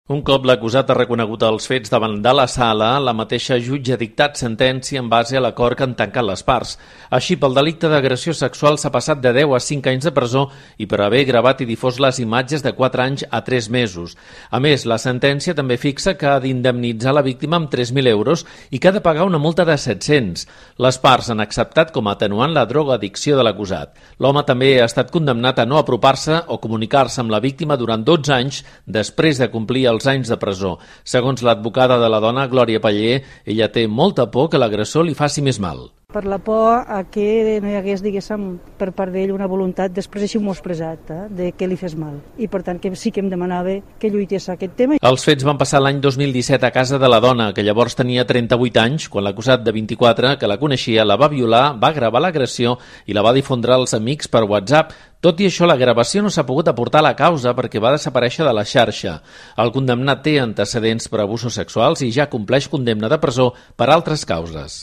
Un cop l'acusat ha reconegut els fets davant de la sala, la mateixa jutge ha dictat sentència en base a l'acord que han tancat les parts. Així, pel delicte d'agressió sexual s'ha passat de 10 a 5 anys de presó i per haver gravat i difós les imatges de 4 anys a 3 mesos. A més, la sentència també fixa que ha d'indemnitzar la víctima amb 3.000 euros i que ha de pagar una multa de 700. Les parts han acceptat com a atenuant la drogoaddicció de l'acusat. L'home també ha estat condemnat a no apropar-se o comunicar-se amb la víctima durant 12 anys després de complir els anys de presó. Segons l'advocada de la dona, Glòria Paller, ella té molta por que l'agressor li faci més mal. Per la por a que no hi hagués, diguéssim, per part d'ell una voluntat, després així m'ho ha expressat, de que li fes mal. I per tant que sí que em demanava que lluités aquest tema. Els fets van passar l'any 2017 a casa de la dona, que llavors tenia 38 anys, quan l'acusat de 24, que la coneixia, la va violar, va gravar l'agressió i la va difondre als amics per WhatsApp. Tot i això, la gravació no s'ha pogut aportar a la causa perquè va desaparèixer de la xarxa. El condemnat té antecedents per abusos sexuals i ja compleix condemna de presó per altres causes.